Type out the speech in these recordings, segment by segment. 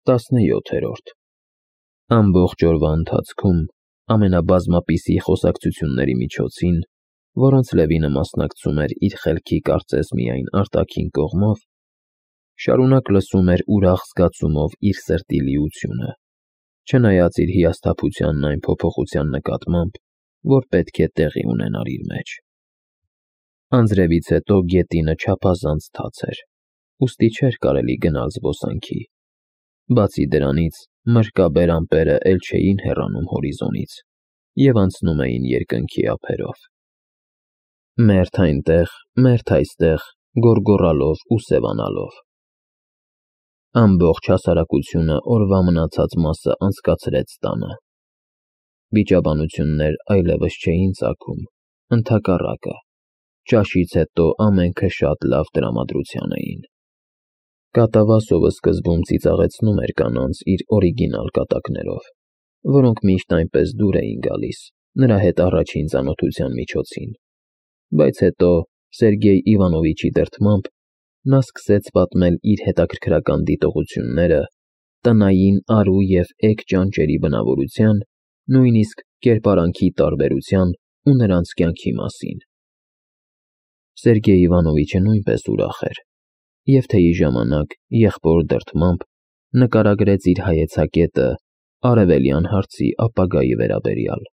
17-րդ Ամբողջ օրվա ընթացքում ամենաբազմապիսի խոսակցությունների միջոցին, որոնց Լևինը մասնակցում էր իր խելքի կարծես միայն արտաքին կողմով, շարունակ լսում էր ուրախ զգացումով իր սրտի լիությունը, չնայած իր հիասթափությանն այն փոփոխության նկատմամբ, որ պետք է տեղի ունենար իր մեջ։ Անձրևից հետո գետինը չափազանց թաց էր, ուստի չէր կարելի գնալ զբոսանքի։ Բացի դրանից, մրրկաբեր ամպերը էլ չէին հեռանում հորիզոնից և անցնում էին երկնքի ափերով։ Մերթ այնտեղ, մերթ այստեղ, գոռգոռալով ու սևանալով։ Ամբողջ հասարակությունը օրվա մնացած մասը անցկացրեց տանը։ Վիճաբանություններ այլևս չէին ծագում, ընդհակառակը, ճաշից հետո ամենքը շատ լավ տրամադրության էին։ Կատավասովը սկզբում ծիծաղեցնում էր կանանց իր օրիգինալ կատակներով, որոնք միշտ այնպես դուր էին գալիս նրա հետ առաջին ծանոթության միջոցին, բայց հետո Սերգեյ Իվանովիչի դրդմամբ նա սկսեց պատմել իր հետաքրքրական դիտողությունները տնային արու և էգ ճանճերի բնավորության, նույնիսկ կերպարանքի տարբերության ու նրանց կյանքի մասին։ Սերգեյ Իվանովիչը նույնպես ուրախ էր և թեյի ժամանակ եղբոր դրդմամբ նկարագրեց իր հայեցակետը արևելյան հարցի ապագայի վերաբերյալ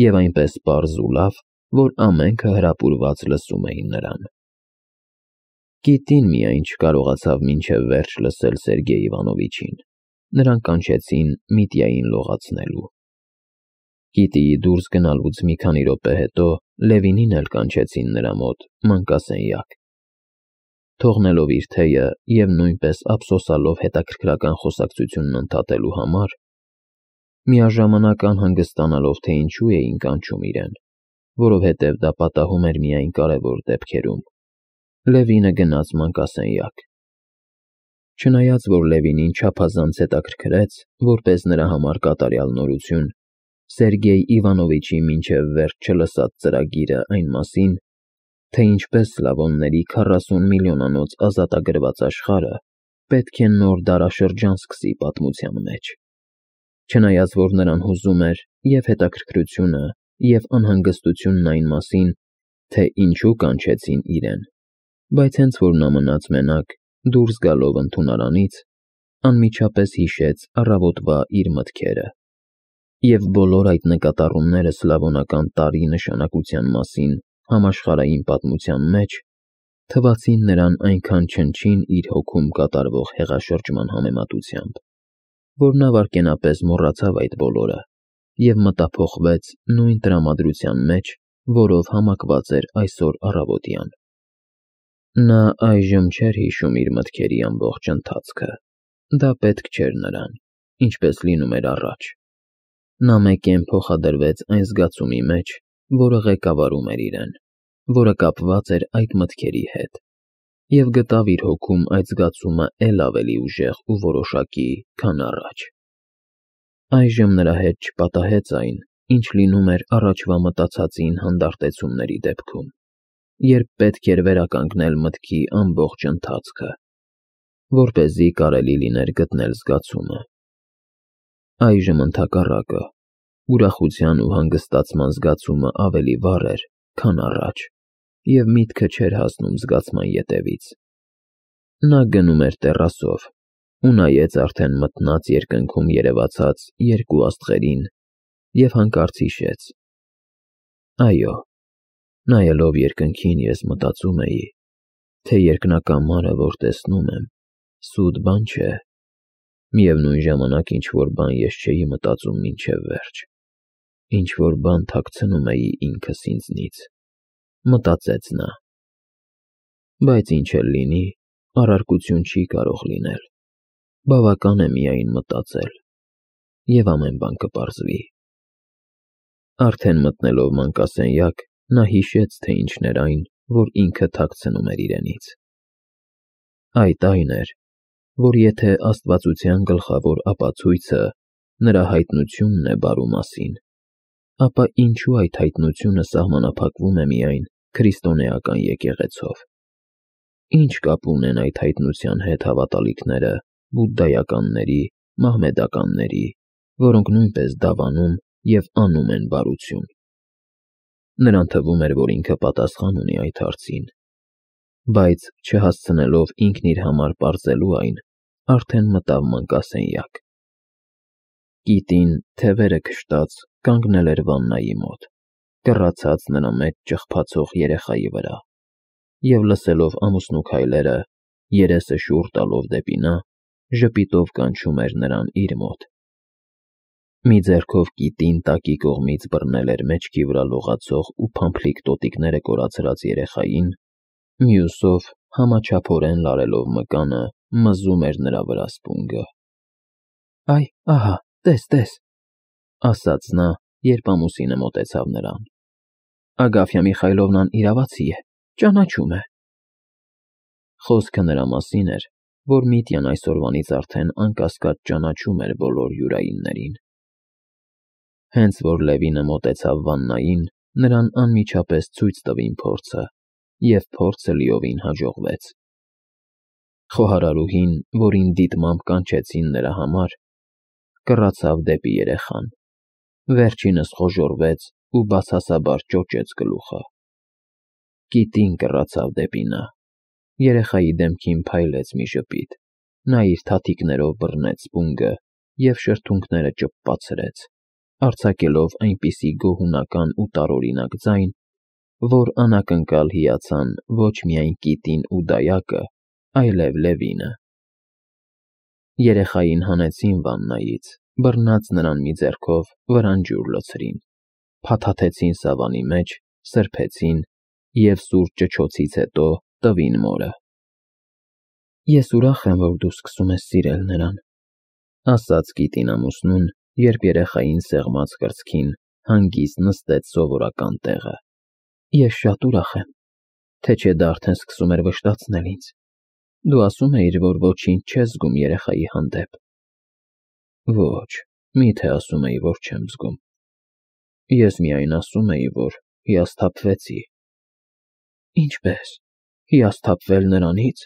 և այնպես պարզ ու լավ, որ ամենքը հրապուրված լսում էին նրան։ Կիտին միայն չկարողացավ մինչև վերջ լսել Սերգեյ Իվանովիչին, նրան կանչեցին Միտյային լողացնելու։ Կիտիի դուրս գնալուց մի քանի րոպե հետո Լևինին էլ կանչեցին նրա մոտ մանկասենյակ։ Թողնելով իր թեյը և նույնպես ափսոսալով հետաքրքրական խոսակցությունն ընդհատելու համար, միաժամանակ անհանգստանալով, թե ինչու էին կանչում իրեն, որովհետև դա պատահում էր միայն կարևոր դեպքերում, Լևինը գնաց մանկասենյակ։ Չնայած որ Լևինին չափազանց հետաքրքրեց, որպես նրա համար կատարյալ նորություն, Սերգեյ Իվանովիչի մինչև վերջ չլսած ծրագիրը այն մասին, թե ինչպես Սլավոնների 40 միլիոնանոց ազատագրված աշխարհը պետք է նոր դարաշրջան սկսի պատմության մեջ։ Չնայած որ նրան հուզում էր և հետաքրքրությունը, և անհանգստությունն այն մասին, թե ինչու կանչեցին իրեն, բայց հենց որ նա մնաց մենակ, դուրս գալով ընդունարանից, անմիջապես հիշեց առավոտվա իր մտքերը, և բոլոր այդ նկատառումները սլավոնական տարրի նշանակության մասին համաշխարհային պատմության մեջ թվացին նրան այնքան չնչին իր հոգում կատարվող հեղաշրջման համեմատությամբ, որ նա վայրկենապես մոռացավ այդ բոլորը և մտափոխվեց նույն տրամադրության մեջ, որով համակված էր այսօր առավոտյան։ Նա այժմ չէր հիշում իր մտքերի ամբողջ ընթացքը, դա պետք չէր նրան, ինչպես լինում էր առաջ։ Նա մեկեն փոխադրվեց այն զգացումի մեջ, որը ղեկավարում էր իրեն, որը կապված էր այդ մտքերի հետ, և գտավ իր հոգում այդ զգացումը էլ ավելի ուժեղ ու որոշակի, քան առաջ։ Այժմ նրա հետ չպատահեց այն, ինչ լինում էր առաջվա մտածածին հանդարտեցումների դեպքում, երբ պետք էր վերականգնել մտքի ամբողջ ընթացքը, որպեսզի կարելի լիներ գտնել զգացումը։ Այժմ ընդհակառակը, ուրախության ու հանգստացման զգացումը ավելի վառ էր, քան առաջ, և միտքը չէր հասնում զգացման ետևից։ Նա գնում էր տեռասով ու նայեց արդեն մթնած երկնքում երևացած երկու աստղերին և հանկարծ հիշեց. այո, նայելով երկնքին ես մտածում էի, թե երկնակամարը, որ տեսնում եմ, սուտ բան չէ, միևնույն ժամանակ ինչ-որ բան ես չէի մտածում մինչև վերջ, ինչ-որ բան թաքցնում էի ինքս ինձնից, մտածեց նա։ Բայց ինչ էլ լինի, առարկություն չի կարող լինել, բավական է միայն մտածել, և ամեն բան կպարզվի։ Արդեն մտնելով մանկասենյակ, նա հիշեց, թե ինչն էր այն, որ ինքը թաքցնում էր իրենից։ Այդ այն էր, որ եթե աստվածության գլխավոր ապացույցը նրա հայտնությունն է բարու մասին, ապա ինչու այդ հայտնությունը սահմանափակվում է միայն քրիստոնեական եկեղեցով։ Ինչ կապ ունեն այդ հայտնության հետ հավատալիքները բուդդայականների, մահմեդականների, որոնք նույնպես դավանում և անում են բարություն։ Նրան թվում էր, որ ինքը պատասխան ունի այդ հարցին, բայց չհասցնելով ինքն իր համար պարզելու այն, արդեն մտավ մանկասենյակ։ Կիտին, թևերը քշտած, կանգնել էր վաննայի մոտ, կռացած նրա մեջ ճխփացող երեխայի վրա, և լսելով ամուսնու քայլերը, երեսը շուռ տալով դեպի նա, ժպիտով կանչում էր նրան իր մոտ։ Մի ձեռքով կիտին տակի կողմից բռնել էր մեջքի վրա լողացող ու փամփլիկ տոտիկները կորացրած երեխային, մյուսով համաչափորեն լարելով մկանը, մզում էր նրա վրա սպունգը։ «Այ, ահա, տես», ասաց նա, երբ ամուսինը մոտեցավ նրան։ «Ագաֆյա Միխայլովնան իրավացի է, ճանաչում է»։ Խոսքը նրա մասին էր, որ Միտյան այսօրվանից արդեն անկասկած ճանաչում էր բոլոր յուրայիններին։ Հենց որ Լևինը մոտեցավ վաննային, նրան անմիջապես ցույց տվին փորձը, և փորձը լիովին հաջողվեց։ Խոհարարուհին, որին դիտմամբ կանչեցին նրա համար, կռացավ դեպի երեխան, վերջինս խոժոռվեց ու բացասաբար ճոճեց գլուխը։ Կիտին կռացավ դեպի նա, երեխայի դեմքին փայլեց մի ժպիտ, նա իր թաթիկներով բռնեց սպունգը և շրթունքները ճպպացրեց, արձակելով այնպիսի գոհունական ու տարօրինակ ձայն, որ անակնկալ հիացան ոչ միայն կիտին ու դայակը, այլև Լևինը։ Երեխային հանեցին վաննայից, բռնած նրան մի ձեռքով վրան ջուր լցրին, փաթաթեցին սավանի մեջ, սրբեցին և սուր ճչոցից հետո տվին մորը։ «Ես ուրախ եմ, որ դու սկսում ես սիրել նրան», ասաց կիտին ամուսնուն, երբ երեխային սեղմած կրծքին հանգիստ նստեց սովորական տեղը։ «Ես շատ ուրախ եմ, թե չէ դա արդեն սկսում էր վշտացնել ինձ։ Դու ասում էիր, որ ոչինչ չես զգում երեխայի հանդեպ»։ «Ոչ, մի՞թե ասում էի, որ չեմ զգում։ Ես միայն ասում էի, որ հիասթափվեցի»։ «Ինչպե՞ս, հիասթափվել նրանից»։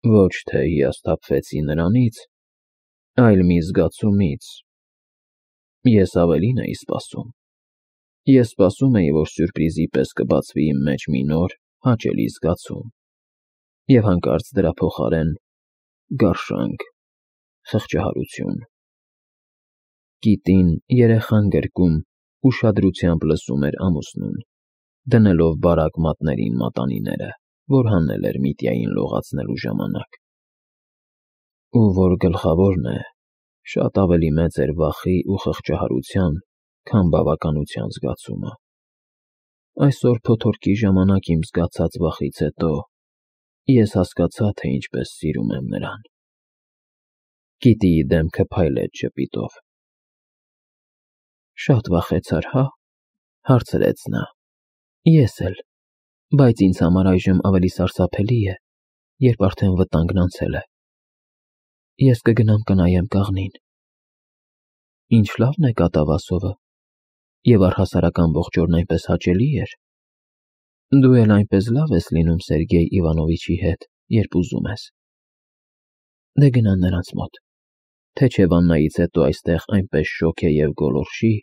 «Ոչ թե հիասթափվեցի նրանից, այլ մի զգացումից։ Ես ավելին էի սպասում։ Ես սպասում էի, որ սյուրպրիզի պես կբացվի իմ մեջ մի նոր, հաճելի զգացում, և հանկարծ դրա փոխարեն գարշանք, խղճահարություն»։ Կիտին, երեխան գրկում, ուշադրությամբ լսում էր ամուսնուն, դնելով բարակ մատներին մատանիները, որ հանել էր Միտյային լողացնելու ժամանակ։ Ու որ գլխավորն է, շատ ավելի մեծ էր վախի ու խղճահարության, քան բավականության զգացումը։ Այսօր փոթորկի ժամանակ իմ զգացած վախից հետո ես հասկացա, թե ինչպես սիրում եմ նրան։ Կիտիի դեմքը փայլեց ժպիտով։ «Շատ վախեցար, հա՞, հարցրեց նա։ «Ես էլ, բայց ինձ համար այժմ ավելի սարսափելի է, երբ արդեն վտանգն անցել է։ Ես կգնամ կնայեմ կաղնին։ Ինչ լավն է կատավասովը, և առհասարակ ամբողջ օրն այնպես հաճելի էր։ Դու էլ այնպես լավ ես լինում Սերգեյ Իվանովիչի հետ, երբ ուզում ես։ Դե գնա նրանց մոտ, թե չէ վաննայից հետո այստեղ այնպես շոգ է և գոլորշի,